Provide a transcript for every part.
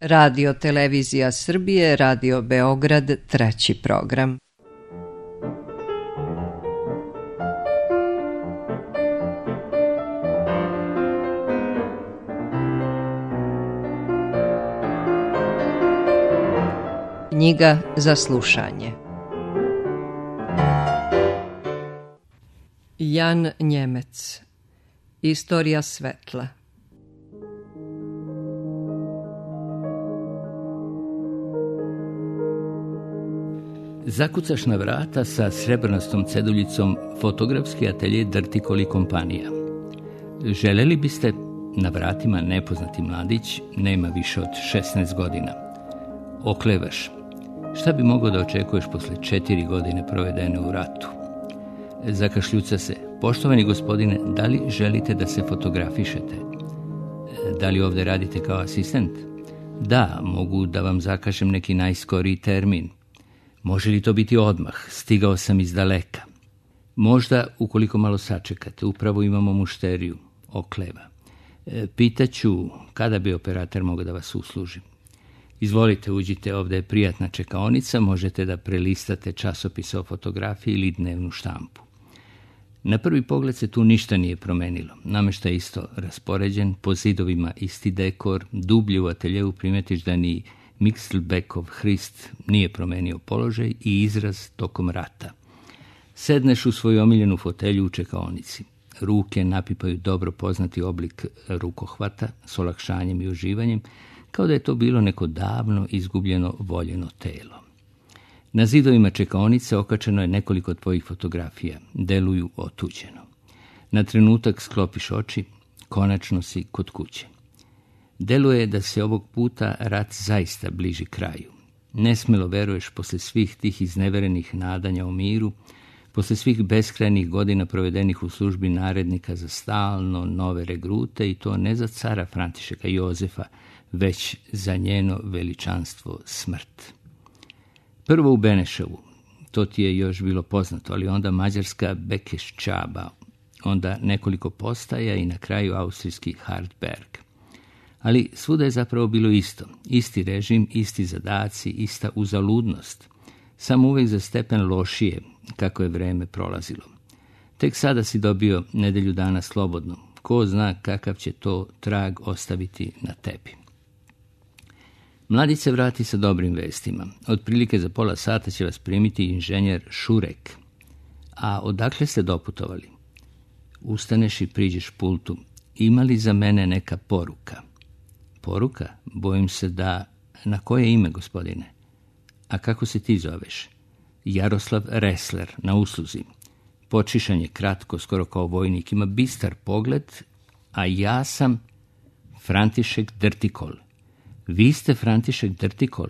Radio Televizija Srbije, Radio Beograd, treći program. Knjiga za slušanje. Jan Njemec. Istorija svetla. Zakucaš na vrata sa srebrnastom ceduljicom Fotografski atelje Drtikol i kompanija. Želeli biste? Na vratima nepoznati mladić, nema više od 16 godina. Oklevaš. Šta bi mogao da očekuješ posle 4 godine provedene u ratu? Zakašljuca se. Poštovani gospodine, da li želite da se fotografišete? Da li ovde radite kao asistent? Da, mogu da vam zakažem neki najskoriji termin. Može li to biti odmah? Stigao sam iz daleka. Možda, ukoliko malo sačekate, upravo imamo mušteriju. Okleva. Pitaću kada bi operator mogao da vas usluži. Izvolite, uđite, ovdje je prijatna čekaonica, možete da prelistate časopise o fotografiji ili dnevnu štampu. Na prvi pogled se tu ništa nije promenilo. Nameštaj je isto raspoređen, po zidovima isti dekor, dublje u ateljevu primetiš da ni Mixelbeckov Hrist nije promenio položaj i izraz tokom rata. Sedneš u svoju omiljenu fotelju u čekaonici. Ruke napipaju dobro poznati oblik rukohvata s olakšanjem i uživanjem, kao da je to bilo neko davno izgubljeno voljeno telo. Na zidovima čekaonice okačeno je nekoliko tvojih fotografija, deluju otuđeno. Na trenutak sklopiš oči, konačno si kod kuće. Deluje da se ovog puta rat zaista bliži kraju. Nesmelo veruješ posle svih tih izneverenih nadanja o miru, posle svih beskrajnih godina provedenih u službi narednika za stalno nove regrute i to ne za cara Františeka Jozefa, već za njeno veličanstvo smrt. Prvo u Beneševu, to ti je još bilo poznato, ali onda mađarska Bekeščaba, onda nekoliko postaja i na kraju austrijski Hartberg. Ali svuda je zapravo bilo isto. Isti režim, isti zadaci, ista uzaludnost. Samo uvijek za stepen lošije, kako je vreme prolazilo. Tek sada si dobio nedelju dana slobodno. Ko zna kakav će to trag ostaviti na tebi. Mladić se vrati sa dobrim vestima. Otprilike za pola sata će vas primiti inženjer Šurek. A odakle ste doputovali? Ustaneš i priđeš pultu. Ima li za mene neka poruka? Poruka? Bojim se da... Na koje ime, gospodine? A kako se ti zoveš? Jaroslav Resler, na usluzi. Počišan je kratko, skoro kao vojnik, ima bistar pogled, a ja sam František Drtikol. Vi ste František Drtikol?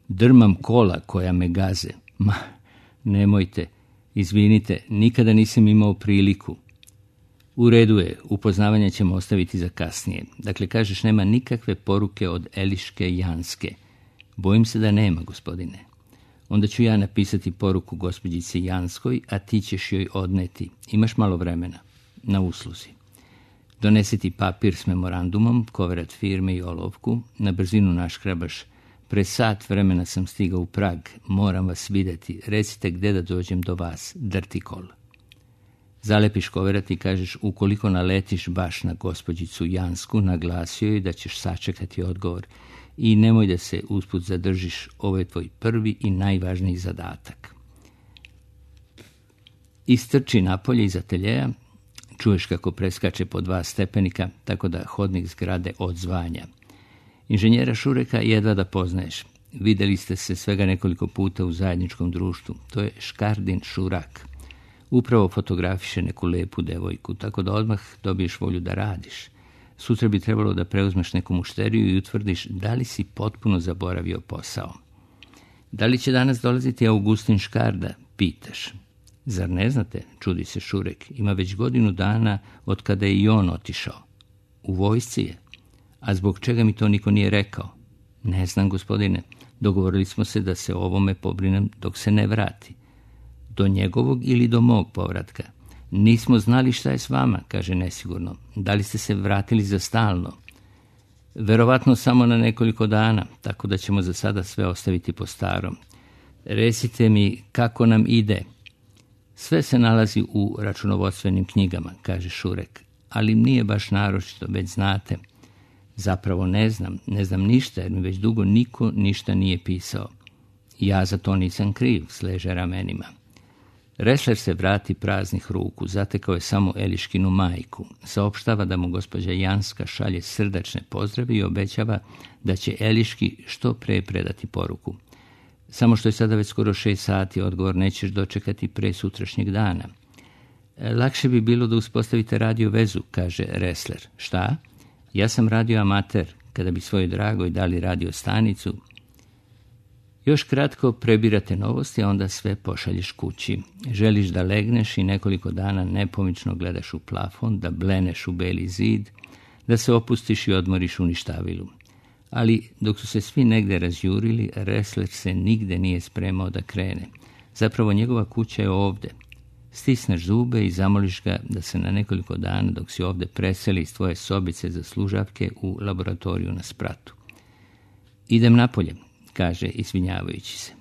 Drmam kola koja me gaze. Ma, nemojte, izvinite, nikada nisam imao priliku. U redu je, upoznavanje ćemo ostaviti za kasnije. Dakle, kažeš, nema nikakve poruke od Eliške Janske. Bojim se da nema, gospodine. Onda ću ja napisati poruku gospođici Janskoj, a ti ćeš joj odneti. Imaš malo vremena. Na usluzi. Donesiti papir s memorandumom, koverat firme i olovku. Na brzinu naškrabaš. Pre sat vremena sam stigao u Prag. Moram vas vidjeti. Recite gde da dođem do vas. Drtikol. Zalepiš koverat i kažeš, ukoliko naletiš baš na gospođicu Jansku, naglasio joj da ćeš sačekati odgovor. I nemoj da se usput zadržiš, ovo je tvoj prvi i najvažniji zadatak. Istrči napolje iz ateljeja, čuješ kako preskače po 2 stepenika, tako da hodnik zgrade odzvanja. Inženjera Šureka jedva da poznaješ. Videli ste se svega nekoliko puta u zajedničkom društvu. To je Škardin Šurak. Upravo fotografiše neku lepu devojku, tako da odmah dobiješ volju da radiš. Sutra bi trebalo da preuzmeš neku mušteriju i utvrdiš da li si potpuno zaboravio posao. Da li će danas dolaziti Augustin Škarda, pitaš. Zar ne znate, čudi se Šurek, ima već godinu dana od kada je i on otišao. U vojsci je. A zbog čega mi to niko nije rekao? Ne znam, gospodine, dogovorili smo se da se o ovome pobrinem dok se ne vrati. Do njegovog ili do mog povratka? Nismo znali šta je s vama, kaže nesigurno. Da li ste se vratili za stalno? Verovatno samo na nekoliko dana, tako da ćemo za sada sve ostaviti po starom. Recite mi kako nam ide. Sve se nalazi u računovodstvenim knjigama, kaže Šurek, ali nije baš naročito, već znate. Zapravo ne znam ništa, jer mi već dugo niko ništa nije pisao. Ja za to nisam kriv, sleže ramenima. Ressler se vrati praznih ruku, zatekao je samo Eliškinu majku. Saopštava da mu gospođa Janska šalje srdačne pozdrave i obećava da će Eliški što pre predati poruku. Samo što je sada već skoro 6 sati, odgovor nećeš dočekati pre sutrašnjeg dana. Lakše bi bilo da uspostavite radio vezu, kaže Ressler. Šta? Ja sam radio amater, kada bi svojoj dragoj dali radio stanicu. Još kratko prebirate novosti, a onda sve pošalješ kući. Želiš da legneš i nekoliko dana nepomično gledaš u plafon, da bleneš u beli zid, da se opustiš i odmoriš u ništavilu. Ali dok su se svi negde razjurili, Ressler se nigde nije spremao da krene. Zapravo njegova kuća je ovde. Stisneš zube i zamoliš ga da se na nekoliko dana, dok si ovde, preseli iz tvoje sobice za služavke u laboratoriju na spratu. Idem napolje, kaže izvinjavajući se.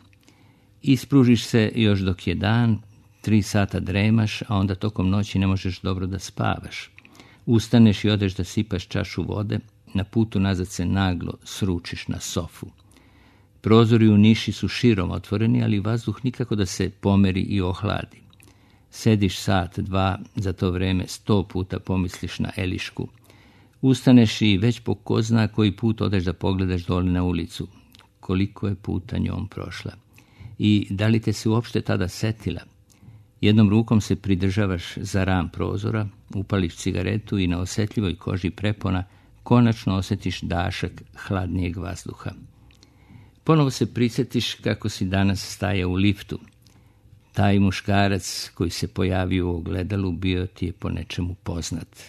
Ispružiš se još dok je dan, 3 sata dremaš, a onda tokom noći ne možeš dobro da spavaš. Ustaneš i odeš da sipaš čašu vode, na putu nazad se naglo sručiš na sofu. Prozori u niši su širom otvoreni, ali vazduh nikako da se pomeri i ohladi. Sediš sat, 2, za to vreme 100 puta pomisliš na Elišku. Ustaneš i već po ko zna koji put odeš da pogledaš dole na ulicu. Koliko je puta njom prošla. I da li te se uopšte tada setila? Jednom rukom se pridržavaš za ram prozora, upališ cigaretu i na osjetljivoj koži prepona konačno osjetiš dašak hladnijeg vazduha. Ponovo se prisjetiš kako si danas stajao u liftu. Taj muškarac koji se pojavio u ogledalu bio ti je po nečemu poznat.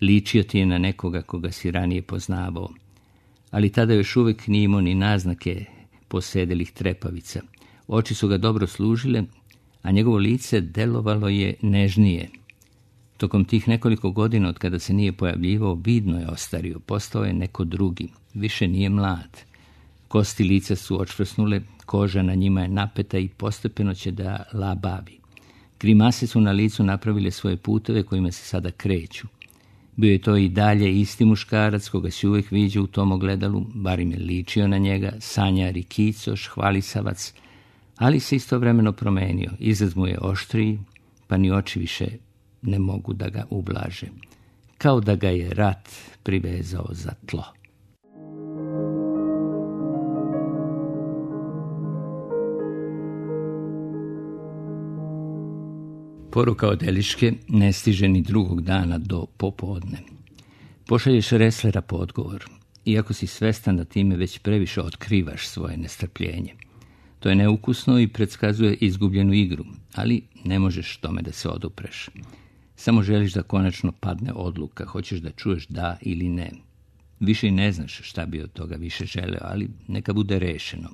Ličio ti je na nekoga koga si ranije poznavao. Ali tada još uvijek nije imao ni naznake posedelih trepavica. Oči su ga dobro služile, a njegovo lice delovalo je nežnije. Tokom tih nekoliko godina od kada se nije pojavljivao, vidno je ostario, postao je neko drugi, više nije mlad. Kosti lica su očvrsnule, koža na njima je napeta i postepeno će da labavi. Grimase su na licu napravile svoje puteve kojima se sada kreću. Bio je to i dalje isti muškarac koga si uvijek viđao u tom ogledalu, bar im je ličio na njega, sanjar i kicoš, hvalisavac, ali se istovremeno promenio. Izraz mu je oštriji, pa ni oči više ne mogu da ga ublaže. Kao da ga je rat privezao za tlo. Poruka od Eliške ne stiže ni drugog dana do popodne. Pošalješ Resslera po odgovor, iako si svestan da time već previše otkrivaš svoje nestrpljenje. To je neukusno i predskazuje izgubljenu igru, ali ne možeš tome da se odupreš. Samo želiš da konačno padne odluka, hoćeš da čuješ da ili ne. Više i ne znaš šta bi od toga više želeo, ali neka bude rešeno.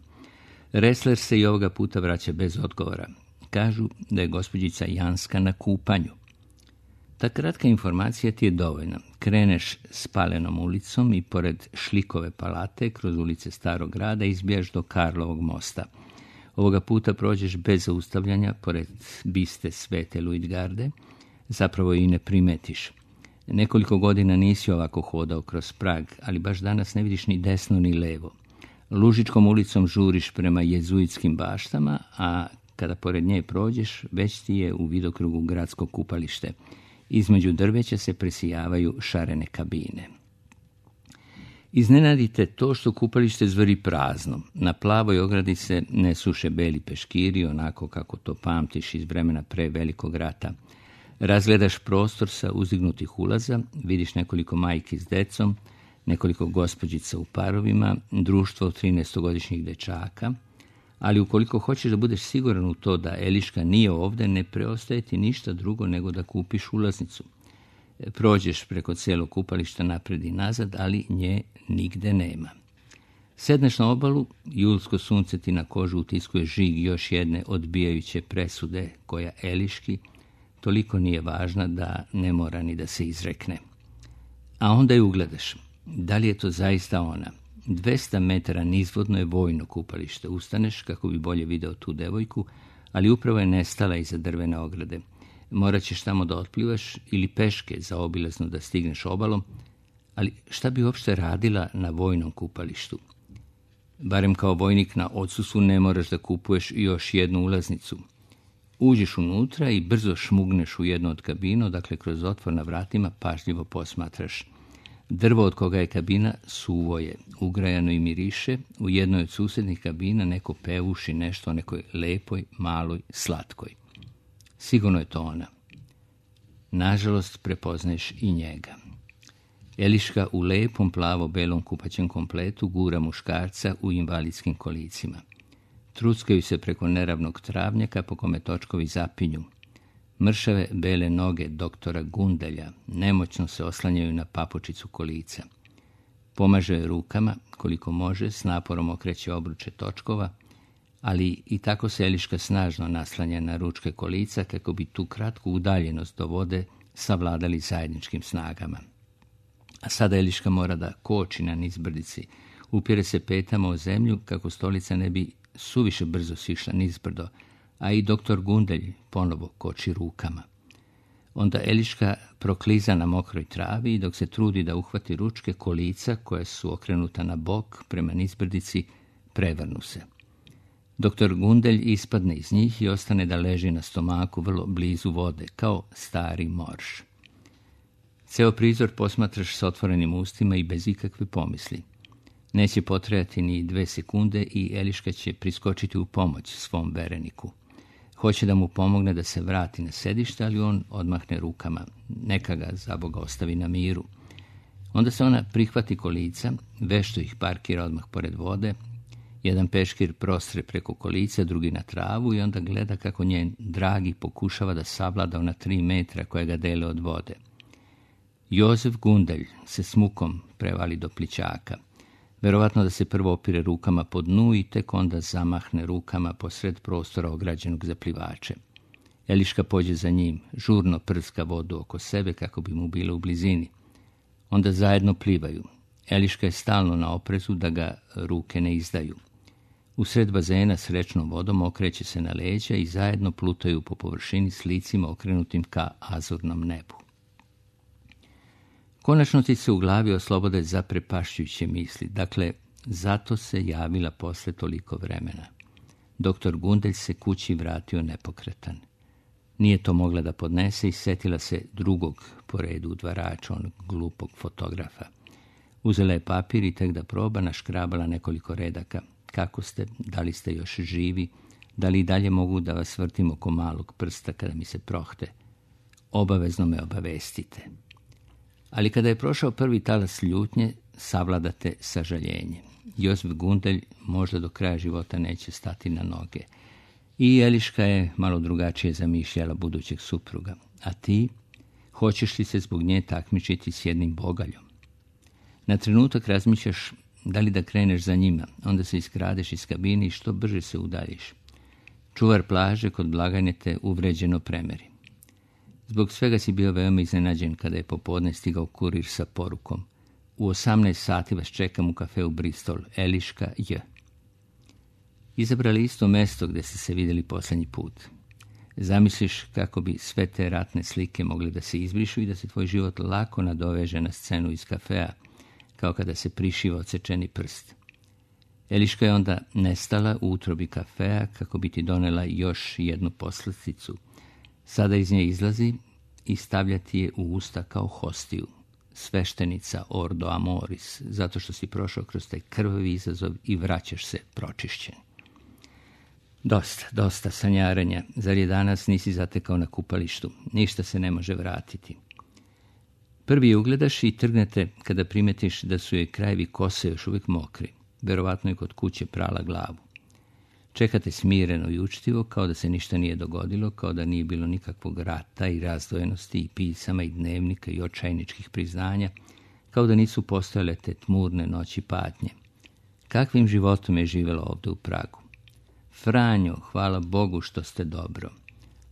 Ressler se i ovoga puta vraća bez odgovora. Kažu da je gospođica Janska na kupanju. Ta kratka informacija ti je dovoljna. Kreneš spalenom ulicom i pored Šlikove palate, kroz ulice Starog grada, izbijaš do Karlovog mosta. Ovoga puta prođeš bez zaustavljanja, pored biste Svete Luitgarde, zapravo i ne primetiš. Nekoliko godina nisi ovako hodao kroz Prag, ali baš danas ne vidiš ni desno ni levo. Lužičkom ulicom žuriš prema jezuitskim baštama, a kada pored nje prođeš, već ti je u vidokrugu gradsko kupalište. Između drveća se presijavaju šarene kabine. Iznenadite to što kupalište zveri prazno. Na plavoj ogradi se ne suše beli peškiri, onako kako to pamtiš iz vremena pre Velikog rata. Razgledaš prostor sa uzdignutih ulaza, vidiš nekoliko majki s decom, nekoliko gospođica u parovima, društvo 13-godišnjih dečaka, ali ukoliko hoćeš da budeš siguran u to da Eliška nije ovde, ne preostaje ti ništa drugo nego da kupiš ulaznicu. Prođeš preko cijelog kupališta napred i nazad, ali nje nigde nema. Sedneš na obalu, julsko sunce ti na kožu utiskuje žig još jedne odbijajuće presude koja Eliški toliko nije važna da ne mora ni da se izrekne. A onda je ugledaš. Da li je to zaista ona? 200 metara nizvodno je vojno kupalište. Ustaneš kako bi bolje video tu devojku, ali upravo je nestala iza drvene ograde. Morat ćeš tamo da otplivaš ili peške zaobilazno da stigneš obalom, ali šta bi uopšte radila na vojnom kupalištu? Barem kao vojnik na odsusu ne moraš da kupuješ još jednu ulaznicu. Uđeš unutra i brzo šmugneš u jednu od kabina, dakle kroz otvor na vratima pažljivo posmatraš. Drvo od koga je kabina suvo je, ugrajano i miriše. U jednoj od susjednih kabina neko pevuši nešto o nekoj lepoj, maloj, slatkoj. Sigurno je to ona. Nažalost, prepoznaješ i njega. Eliška u lepom plavo-belom kupaćem kompletu gura muškarca u invalidskim kolicima. Truckaju se preko neravnog travnjaka po kome točkovi zapinju. Mršave bele noge doktora Gundelja nemoćno se oslanjaju na papučicu kolica. Pomaže je rukama, koliko može, s naporom okreće obruče točkova, ali i tako se Eliška snažno naslanja na ručke kolica kako bi tu kratku udaljenost do vode savladali zajedničkim snagama. A sada Eliška mora da koči na nizbrdici, upire se petama o zemlju kako stolica ne bi suviše brzo sišla nizbrdo, a i doktor Gundelj ponovo koči rukama. Onda Eliška prokliza na mokroj travi i dok se trudi da uhvati ručke, kolica koja su okrenuta na bok prema nizbrdici prevrnu se. Doktor Gundelj ispadne iz njih i ostane da leži na stomaku vrlo blizu vode, kao stari morž. Ceo prizor posmatraš s otvorenim ustima i bez ikakve pomisli. Neće potrajati ni 2 sekunde i Eliška će priskočiti u pomoć svom vereniku. Hoće da mu pomogne da se vrati na sedište, ali on odmahne rukama. Neka ga, za Boga, ostavi na miru. Onda se ona prihvati kolica, vešto ih parkira odmah pored vode. Jedan peškir prostre preko kolica, drugi na travu i onda gleda kako njen dragi pokušava da savlada ona 3 metra koje ga dele od vode. Jozef Gundelj se s mukom prevali do plićaka. Verovatno da se prvo opire rukama po dnu i tek onda zamahne rukama posred prostora ograđenog za plivače. Eliška pođe za njim, žurno prska vodu oko sebe kako bi mu bila u blizini. Onda zajedno plivaju. Eliška je stalno na oprezu da ga ruke ne izdaju. Usred bazena s rečnom vodom okreće se na leđa i zajedno plutaju po površini s licima okrenutim ka azurnom nebu. Konačno ti se u glavi oslobode zaprepašćujuće misli. Dakle, zato se javila posle toliko vremena. Doktor Gundelj se kući vratio nepokretan. Nije to mogla da podnese i setila se drugog po redu udvarača, onog glupog fotografa. Uzela je papir i tek da proba naškrabala nekoliko redaka. Kako ste, da li ste još živi, da li i dalje mogu da vas vrtim oko malog prsta kada mi se prohte. Obavezno me obavestite. Ali kada je prošao prvi talas ljutnje, savladate sažaljenje. Josip Gundelj možda do kraja života neće stati na noge. I Eliška je malo drugačije zamišljala budućeg supruga. A ti, hoćeš li se zbog nje takmičiti s jednim bogaljom? Na trenutak razmišljaš da li da kreneš za njima, onda se iskradeš iz kabine i što brže se udaljiš. Čuvar plaže kod blagajne te uvređeno premeri. Zbog svega si bio veoma iznenađen kada je popodne stigao kurir sa porukom. U 18 sati vas čekam u kafeu Bristol, Eliška J. Izabrali isto mesto gde ste se vidjeli posljednji put. Zamisliš kako bi sve te ratne slike mogli da se izbrišu i da se tvoj život lako nadoveže na scenu iz kafea, kao kada se prišiva odsečeni prst. Eliška je onda nestala u utrobi kafea kako bi ti donela još jednu poslasticu. Sada iz nje izlazi i stavlja ti je u usta kao hostiju. Sveštenica Ordo Amoris, zato što si prošao kroz taj krvavi izazov i vraćaš se pročišćen. Dosta sanjarenja. Zar je danas nisi zatekao na kupalištu? Ništa se ne može vratiti. Prvi je ugledaš i trgnete kada primetiš da su joj krajevi kose još uvijek mokri. Verovatno je kod kuće prala glavu. Čekate smireno i učtivo, kao da se ništa nije dogodilo, kao da nije bilo nikakvog rata i razdvojenosti i pisama i dnevnika i očajničkih priznanja, kao da nisu postojale te tmurne noći patnje. Kakvim životom je živjela ovdje u Pragu? Franjo, hvala Bogu što ste dobro.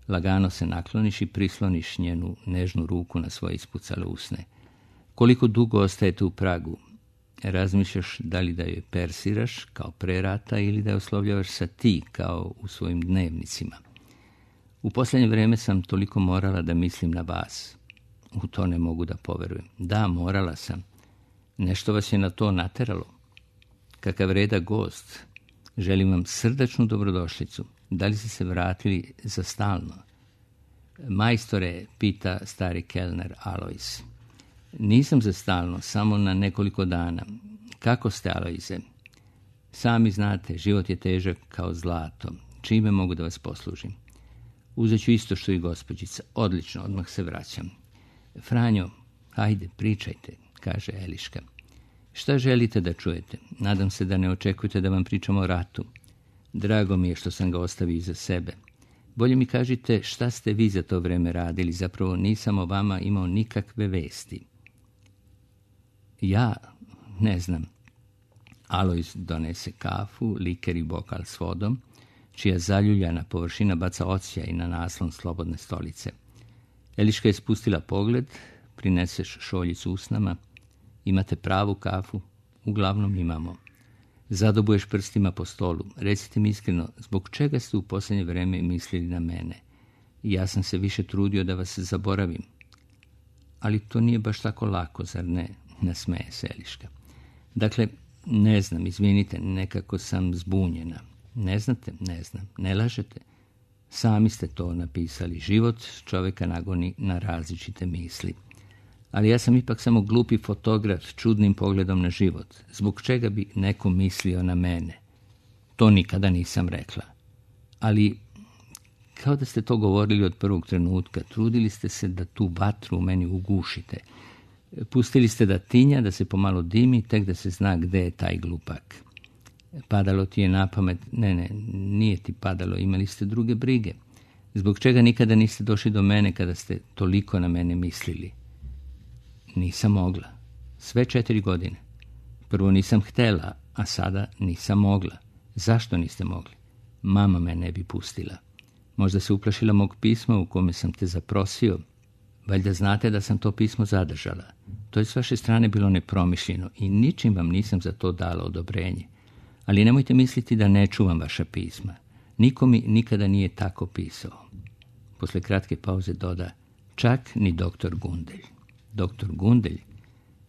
Lagano se nakloniš i prisloniš njenu nežnu ruku na svoje ispucale usne. Koliko dugo ostajete u Pragu? Razmišljaš da li da joj persiraš kao pre rata ili da je oslovljavaš sa ti kao u svojim dnevnicima. U posljednje vrijeme sam toliko morala da mislim na vas. U to ne mogu da poverujem. Da, morala sam. Nešto vas je na to nateralo. Kakav reda gost. Želim vam srdačnu dobrodošlicu. Da li ste se vratili za stalno? Majstore, pita stari kelner Alojz. Nisam za stalno, samo na nekoliko dana. Kako ste, Alojze? Sami znate, život je težak kao zlato. Čime mogu da vas poslužim? Uzet ću isto što i gospođica. Odlično, odmah se vraćam. Franjo, hajde, pričajte, kaže Eliška. Šta želite da čujete? Nadam se da ne očekujete da vam pričamo o ratu. Drago mi je što sam ga ostavio iza sebe. Bolje mi kažite šta ste vi za to vreme radili. Zapravo nisam o vama imao nikakve vesti. Ja ne znam. Alojz donese kafu, liker i bokal s vodom, čija zaljuljana površina baca odsjaj na naslon slobodne stolice. Eliška je spustila pogled, prineseš šoljicu usnama. Imate pravu kafu? Uglavnom imamo. Zadobuješ prstima po stolu. Recite mi iskreno, zbog čega ste u posljednje vreme mislili na mene? Ja sam se više trudio da vas zaboravim. Ali to nije baš tako lako, zar ne? Nasmeje se Eliška. Dakle, ne znam, izvinite, nekako sam zbunjena. Ne znate? Ne znam. Ne lažete? Sami ste to napisali. Život čovjeka nagoni na različite misli. Ali ja sam ipak samo glupi fotograf s čudnim pogledom na život. Zbog čega bi neko mislio na mene? To nikada nisam rekla. Ali, kao da ste to govorili od prvog trenutka, trudili ste se da tu vatru u meni ugušite. Pustili ste da tinja, da se pomalo dimi, tek da se zna gde je taj glupak. Padalo ti je na pamet? Ne, nije ti padalo, imali ste druge brige. Zbog čega nikada niste došli do mene kada ste toliko na mene mislili? Nisam mogla. Sve 4 godine. Prvo nisam htela, a sada nisam mogla. Zašto niste mogli? Mama me ne bi pustila. Možda se uplašila mog pisma u kome sam te zaprosio. Valjda znate da sam to pismo zadržala. To je s vaše strane bilo nepromišljeno i ničim vam nisam za to dala odobrenje. Ali nemojte misliti da ne čuvam vaša pisma. Niko mi nikada nije tako pisao. Posle kratke pauze doda, čak ni doktor Gundelj. Doktor Gundelj?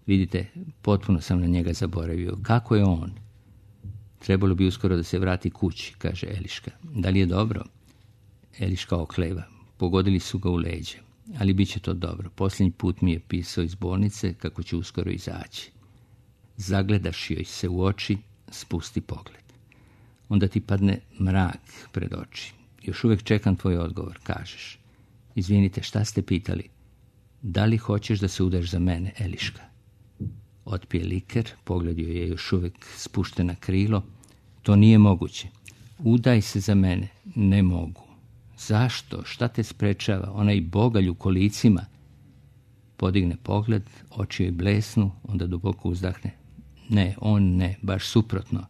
Vidite, potpuno sam na njega zaboravio. Kako je on? Trebalo bi uskoro da se vrati kući, kaže Eliška. Da li je dobro? Eliška okleva. Pogodili su ga u leđe. Ali bit će to dobro. Posljednji put mi je pisao iz bolnice kako će uskoro izaći. Zagledaš joj se u oči, spusti pogled. Onda ti padne mrak pred oči. Još uvijek čekam tvoj odgovor, kažeš. Izvinite, šta ste pitali? Da li hoćeš da se udaš za mene, Eliška? Otpije liker, pogled joj je još uvijek spušten na krilo. To nije moguće. Udaj se za mene. Ne mogu. Zašto? Šta te sprečava? Onaj bogalj u kolicima. Podigne pogled, oči joj blesnu, onda duboko uzdahne. Ne, on ne, baš suprotno.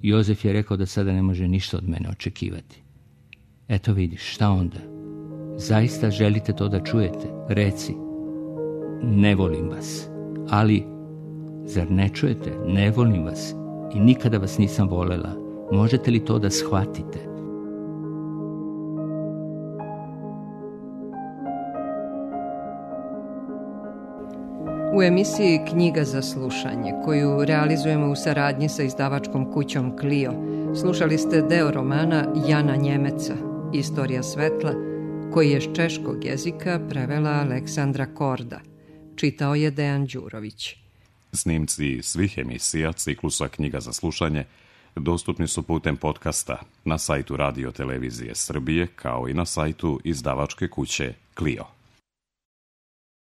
Jozef je rekao da sada ne može ništa od mene očekivati. Eto vidiš, šta onda? Zaista želite to da čujete? Reci. Ne volim vas. Ali, zar ne čujete? Ne volim vas. I nikada vas nisam volela. Možete li to da shvatite? U emisiji Knjiga za slušanje, koju realizujemo u saradnji sa izdavačkom kućom Clio, slušali ste deo romana Jana Njemeca, Istorija svetla, koji je s češkog jezika prevela Aleksandra Korda. Čitao je Dejan Đurović. Snimci svih emisija ciklusa Knjiga za slušanje dostupni su putem podcasta na sajtu Radio Televizije Srbije, kao i na sajtu izdavačke kuće Clio.